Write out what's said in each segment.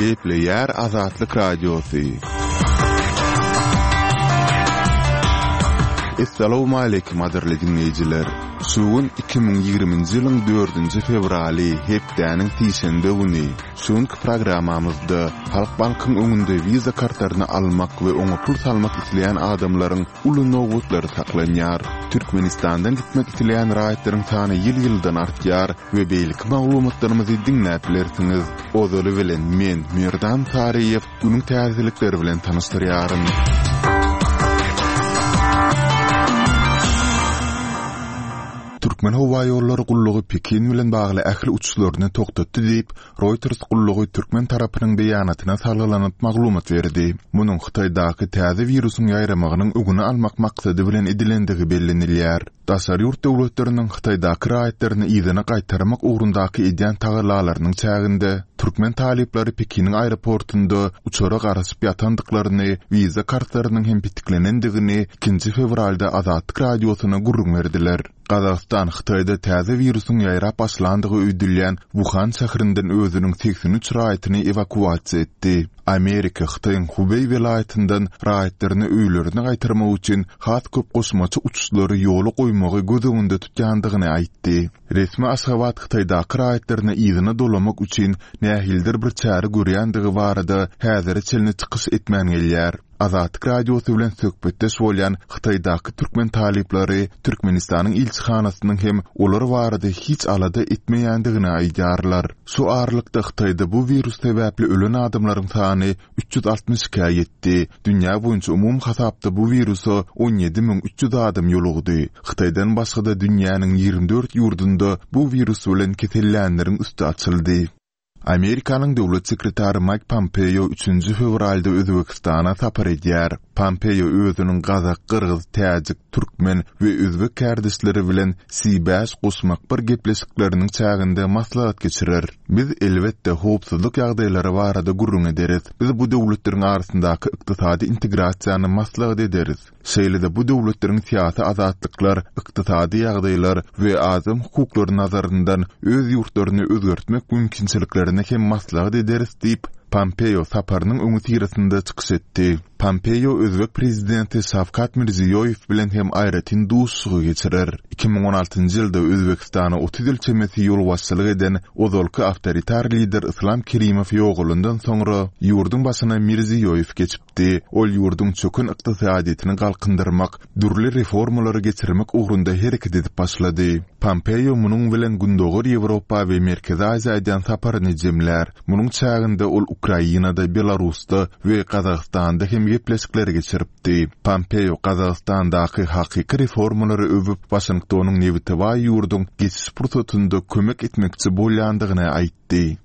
Gepleýär Azatlyk Radiosy. Essalawmaleýkim gadyrly diňleýjiler! Şu gün 2020-nji ýylyň dördünji fewraly, hepdäniň sişenbe güni. Şu günki programmamyzda Halkbankyň öňünde Visa kartlaryny almak we oňa pul salmak isleýän adamlaryň uly nobatlary saklanýar. Türkmenistandan gitmek isleýän raýatlaryň sany ýyl-ýyldan artýar we beýleki maglumatlarymyzy diňläp bilersiňiz. Ozaly bilen men, Merdan Saryýew, günüň täzelikleri bilen tanyşdyrýaryn. Türkmenhowaýollary gullugy Pekin bilen bagly ähli uçuşlaryny togtatdy diýip, Reuters gullugy türkmen tarapynyň beýanatyna salgylanyp maglumat berdi. Munuň Hytaýdaky täze wirusyň ýaýramagynyň öňüni almak maksady bilen edilendigi bellenilýär. Daşary ýurt döwletleriniň Hytaýdaky raýatlaryny yzyna gaýtarmak ugrundaky edýän tagallalarynyň çäginde, türkmen talyplary Pekiniň aeroportunda uçara garaşyp ýatandyklaryny, wiza kartlarynyň hem petiklenendigini ikinji fewralda Azatlyk Radiosyna gürrüň berdiler. Gazagystan Hytaýda täze wirusyň ýaýrap başlandygy öýdülýän Wuhan şäherinden özüniň 83 raýatyny ewakuasiýa etdi. Amerika Hytaýyň Hubeý welaýatyndan raýatlaryny öýlerine gaýtarmak üçin has köp goşmaça uçuşlary ýola goýmagy göz öňünde tutýandygyny aýtdy. Resmi Aşgabat Hytaýdaky raýatlaryny yzyna dolamak üçin nähilidir bir çäre görýändigi barada häzire çenli çykyş etmän gelýär. Azatlyk Radiosy bilen söhbetdeş bolýan Hytaýdaky türkmen talyplary Türkmenistanyň ilçihanasynyň hem olar barada hiç alada etmeýändigini aýdýarlar. Şu aralykda Hytaýda bu wirus sebäpli ölen adamlaryň sany 362-ä ýetdi. Dünýä boýunça umumy hasapda bu wirusa 17 300 adam ýolugdy. Hytaýdan başga-da dünýäniň 24 ýurdunda bu wirus bilen kesellänleriň üsti açyldy. Amerikanyň döwlet sekretary Maýk Pompeo üçünji fewralda Özbegistana sapar edýär. Pompeo özüniň gazak, gyrgyz, täjik, türkmen we özbek kärdeşleri bilen C bäş goşmak bir gepleşikleriniň çäginde maslahat geçirer. Biz, elbetde, howpsuzlyk ýagdaýlary barada gürrüň ederis. Biz bu döwletleriň arasyndaky ykdysady integrasiýany maslahat ederis. Şeýle-de bu döwletleriň syýasy azatlyklar, ykdysady ýagdaýlar we adam hukuklary nazaryndan öz ýurtlaryny özgertmek mümkinçiliklerini hem maslahat ederis diýip, Pompeo saparynyň öňüsyrasynda çykyş etdi. Pompeo özbek prezidenti Şawkat Mirziýoýew bilen hem aýratyn duşuşygy geçirer. 2016-njy ýylda Özbegistana 30 ýyl çemesi ýolbaşçylyk eden ozalky awtoritar lider Yslam Kerimow ýogalandan soňra ýurduň başyna Mirziýoýew geçipdi. Di. Ol ýurduň çöken ykdysadyýetini galkyndyrmak, dürli reformalary geçirmek ugrunda hereket edip başlady. Pompeo munuň bilen Gündogar Ýewropa we Merkezi Aziýa edýän saparyny jemlär. Munuň çäginde ol Ukrainada, Belarusda we Gazagystanda hem gepleşikleri geçiripdi. Pompeo Gazagystandaky hakyky reformalary öwüp, Waşingtonyň nebite baý ýurduň geçiş pursatynda kömek etmekçi bolýandygyny aýtdy.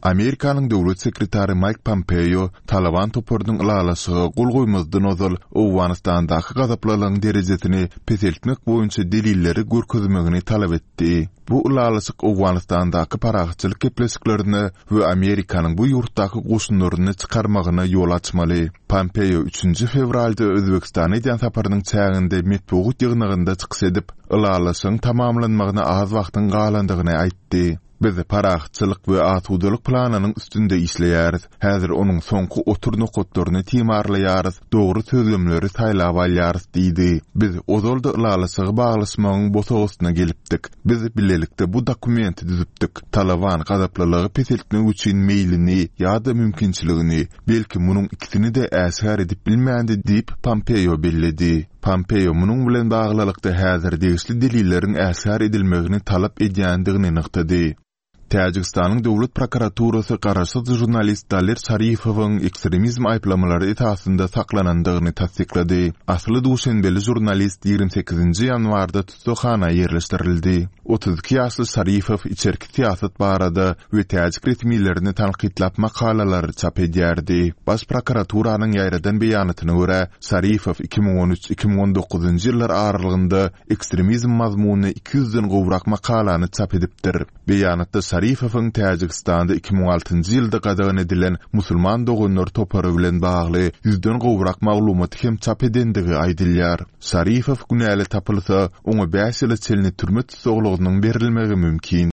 Amerikanyň döwlet sekretary Maýk Pompeo Talaban toparynyň ylalaşyga gol goýmazdan ozal Owganystandaky gazaplylygyň derejesini peseltmek boýunça delilleri görkezmegini talap etdi. Bu ylalaşyk Owganystandaky parahatçylyk gepleşiklerine we Amerikanyň bu ýurtdaky goşunlaryny çykarmagyna ýol açmaly. Pompeo üçünji fewralda Özbegistana edýän saparynyň çäginde metbugat ýygnagynda çykyş edip, ylalaşygyň tamamlanmagyna az wagtyň galandygyny aýtdy. Biz parahatçylyk we asudalyk planynyň üstünde işleýäris. Häzir onuň soňky otur nokatlaryny timarlaýarys, dogry sözlemleri saýlap alýarys diýdi. Biz ozal-da ylalaşygy baglaşmagyň bosagasyna gelipdik. Biz bilelikde bu dokumenti düzüpdik. Talaban gazaplylygy peseltmek üçin meýlini ýa-da mümkinçiligini, belki munuň ikisini-de äşgär edip bilmändi diýip, Pompeo belledi. Pompeo munuň bilen baglylykda häzir degişli delilleriň äşgär edilmegini talap edýändigini nygtady. Täjigistanyň döwlet prokuraturasy garaşsyz žurnalist Daler Şarifowyň ekstremizm aýyplamalary esasynda saklanandygyny tassyklady. Asly duşenbeli žurnalist 28-nji ýanwarda tussaghana ýerleşdirildi. 32 ýaşly Şarifow içerki syýasat barada we täjik resmilerini tankytlap makalalary çap edýärdi. Baş prokuraturanyň ýaýradan beýanatyna görä, Şarifow 2013, 2019-njy ýyllar aralygynda ekstremizm mazmunly 200-den gowrak makalany çap edipdir. Beýanatda Şarifowyň Täjigistanda 2006-njy ýylda gadagan edilen Musulman doganlar topary bilen bagly ýüzden gowrak maglumaty hem çap edendigi aýdylýar. Şarifow günäli tapylsa, oňa bäş ýyla çenli türme tussaglygynyň berilmegi mümkin.